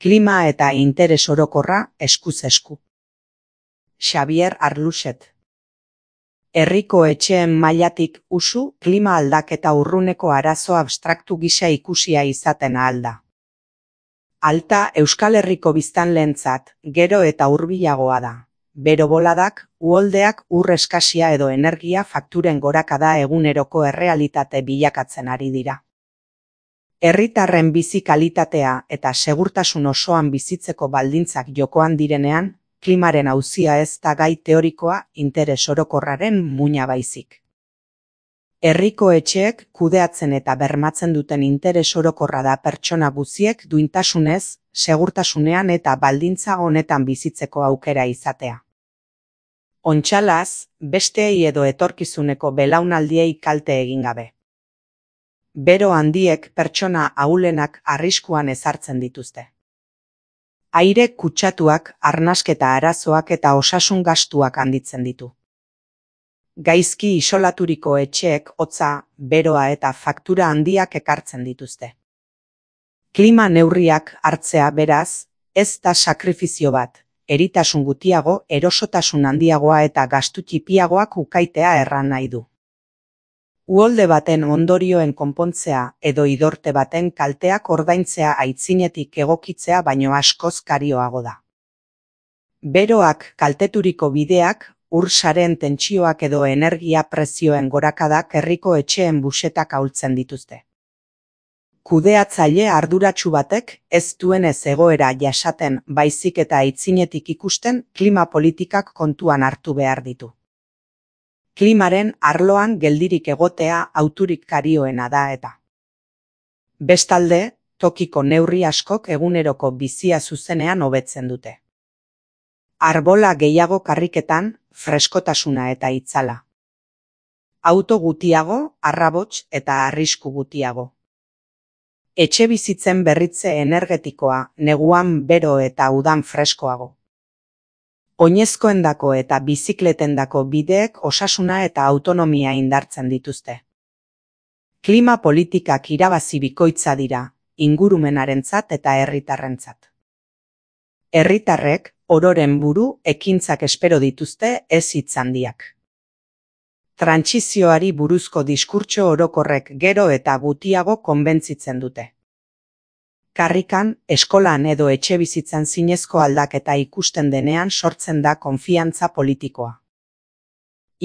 Klima eta interes orokorra eskuz esku. Xabier Arluxet. Herriko etxeen mailatik usu klima aldaketa urruneko arazo abstraktu gisa ikusia izaten ahal da. Alta Euskal Herriko biztanleentzat gero eta hurbilagoa da. Bero boladak, uholdeak, ur eskasia edo energia fakturen gorakada eguneroko errealitate bilakatzen ari dira. Herritarren bizi kalitatea eta segurtasun osoan bizitzeko baldintzak jokoan direnean, klimaren auzia ez da gai teorikoa interes orokorraren muina baizik. Herriko etxeek kudeatzen eta bermatzen duten interes orokorra da pertsona guztiek duintasunez, segurtasunean eta baldintza honetan bizitzeko aukera izatea. Ontsalaz, besteei edo etorkizuneko belaunaldiei kalte egin gabe. Bero handiek pertsona ahulenak arriskuan ezartzen dituzte. Aire kutsatuak, arnasketa arazoak eta osasun gastuak handitzen ditu. Gaizki isolaturiko etxeek hotza, beroa eta faktura handiak ekartzen dituzte. Klima neurriak hartzea beraz, ez da sakrifizio bat, eritasun gutiago, erosotasun handiagoa eta gastu txipiagoak ukaitea erran nahi du. Uholde baten ondorioen konpontzea edo idorte baten kalteak ordaintzea aitzinetik egokitzea baino askoz karioago da. Beroak kalteturiko bideak, ur sareen tentsioak edo energia prezioen gorakadak herriko etxeen busetak ahultzen dituzte. Kudeatzaile arduratsu batek ez duenez egoera jasaten baizik eta aitzinetik ikusten klima politikak kontuan hartu behar ditu. Klimaren arloan geldirik egotea hauturik karioena da eta. Bestalde, tokiko neurri askok eguneroko bizia zuzenean hobetzen dute. Arbola gehiago karriketan, freskotasuna eta itzala. Auto gutiago, arrabots eta arrisku gutiago. Etxe bizitzen berritze energetikoa, neguan bero eta udan freskoago. Oinezkoendako eta bizikletendako bideek osasuna eta autonomia indartzen dituzte. Klima politikak irabazi bikoitza dira, ingurumenarentzat eta herritarrentzat. Herritarrek, ororen buru, ekintzak espero dituzte ez hitz handiak. Trantsizioari buruzko diskurtso orokorrek gero eta gutiago konbentzitzen dute. Karrikan, eskolan edo etxebizitzan zinezko aldaketa ikusten denean sortzen da konfiantza politikoa.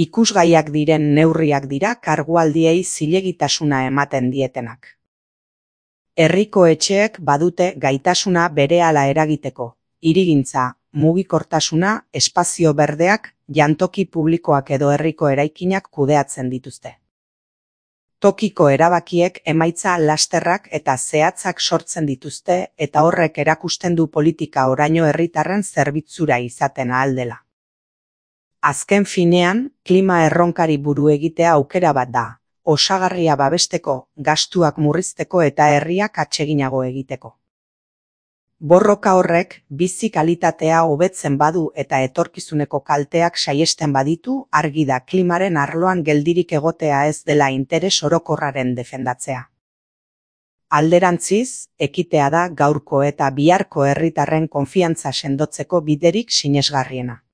Ikusgaiak diren neurriak dira kargualdiei zilegitasuna ematen dietenak. Herriko etxeek badute gaitasuna berehala eragiteko, hirigintza, mugikortasuna, espazio berdeak, jantoki publikoak edo herriko eraikinak kudeatzen dituzte. Tokiko erabakiek emaitza lasterrak eta zehatzak sortzen dituzte eta horrek erakusten du politika oraino herritarren zerbitzura izaten ahal dela. Azken finean, klima erronkari buru egitea aukera bat da, osagarria babesteko, gastuak murrizteko eta herriak atseginago egiteko. Borroka horrek bizi kalitatea hobetzen badu eta etorkizuneko kalteak saihesten baditu, argi da klimaren arloan geldirik egotea ez dela interes orokorraren defendatzea. Alderantziz, ekitea da gaurko eta biharko herritarren konfiantza sendotzeko biderik sinesgarriena.